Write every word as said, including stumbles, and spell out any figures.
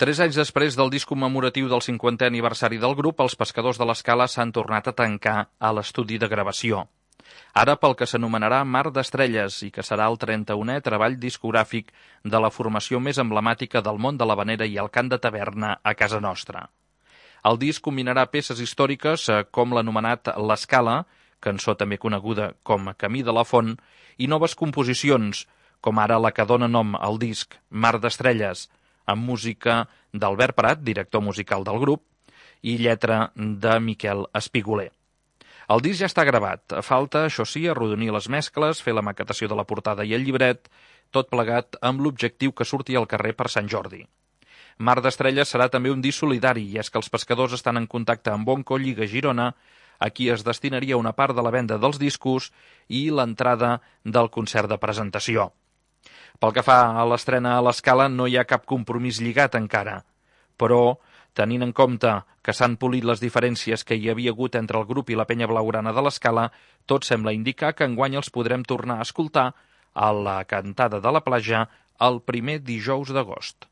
Tres anys després del disc commemoratiu del cinquantè aniversari del grup, els Pescadors de l'Escala s'han tornat a tancar a l'estudi de gravació. Ara pel que s'anomenarà Mar d'Estrelles i que serà el trenta-unè treball discogràfic de la formació més emblemàtica del món de l'havanera i el cant de taverna a casa nostra. El disc combinarà peces històriques com l'anomenat L'Escala, cançó també coneguda com Camí de la Font, i noves composicions, com ara la que dona nom al disc, Mar d'Estrelles, amb música d'Albert Prat, director musical del grup, i lletra de Miquel Espiguler. El disc ja està gravat. Falta, això sí, arrodonir les mescles, fer la maquetació de la portada i el llibret, tot plegat amb l'objectiu que surti al carrer per Sant Jordi. Mar d'Estrelles serà també un disc solidari, i és que els pescadors estan en contacte amb Bonco Lliga Girona, a qui es destinaria una part de la venda dels discos i l'entrada del concert de presentació. Pel que fa a l'estrena a l'Escala, no hi ha cap compromís lligat encara, però, tenint en compte que s'han polit les diferències que hi havia hagut entre el grup i la penya blaugrana de l'Escala, tot sembla indicar que enguany els podrem tornar a escoltar a la cantada de la platja el primer dijous d'agost.